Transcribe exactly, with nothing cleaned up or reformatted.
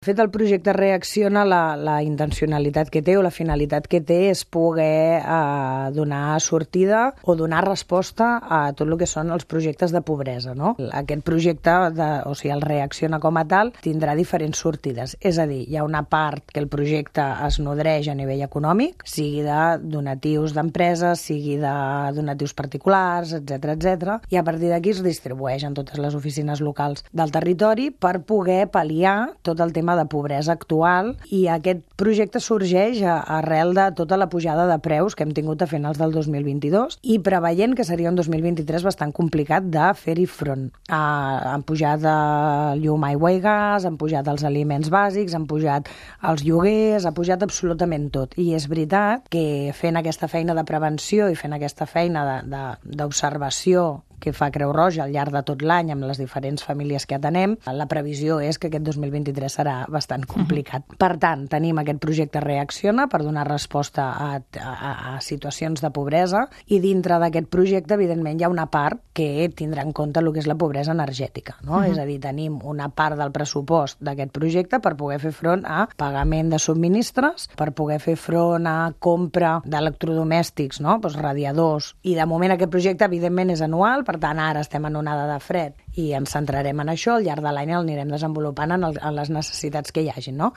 De fet, el projecte Reacciona, la, la intencionalitat que té o la finalitat que té és poder eh, donar sortida o donar resposta a tot el que són els projectes de pobresa, no? Aquest projecte, de, o sigui, el Reacciona com a tal, tindrà diferents sortides. És a dir, hi ha una part que el projecte es nodreix a nivell econòmic, sigui de donatius d'empreses, sigui de donatius particulars, etcètera, etcètera, i a partir d'aquí es distribueix en totes les oficines locals del territori per poder pal·liar tot el tema de pobresa actual, i aquest projecte sorgeix arrel de tota la pujada de preus que hem tingut a finals del dos mil vint-i-dos i preveient que seria un dos mil vint-i-tres bastant complicat de fer-hi front. Ah, han pujat el llum, aigua i gas, han pujat els aliments bàsics, han pujat els lloguers, ha pujat absolutament tot. I és veritat que fent aquesta feina de prevenció i fent aquesta feina d'observació que fa Creu Roja al llarg de tot l'any amb les diferents famílies que atenem, la previsió és que aquest dos mil vint-i-tres serà bastant complicat. Uh-huh. Per tant, tenim aquest projecte Reacciona per donar resposta a, a, a situacions de pobresa, i dintre d'aquest projecte, evidentment, hi ha una part que tindrà en compte el que és la pobresa energètica, no? Uh-huh. És a dir, tenim una part del pressupost d'aquest projecte per poder fer front a pagament de subministres, per poder fer front a compra d'electrodomèstics, no? Pues radiadors, i de moment aquest projecte, evidentment, és anual. Per tant, ara estem en onada de fred i ens centrarem en això. Al llarg de l'any el anirem desenvolupant en, el, en les necessitats que hi hagi, no?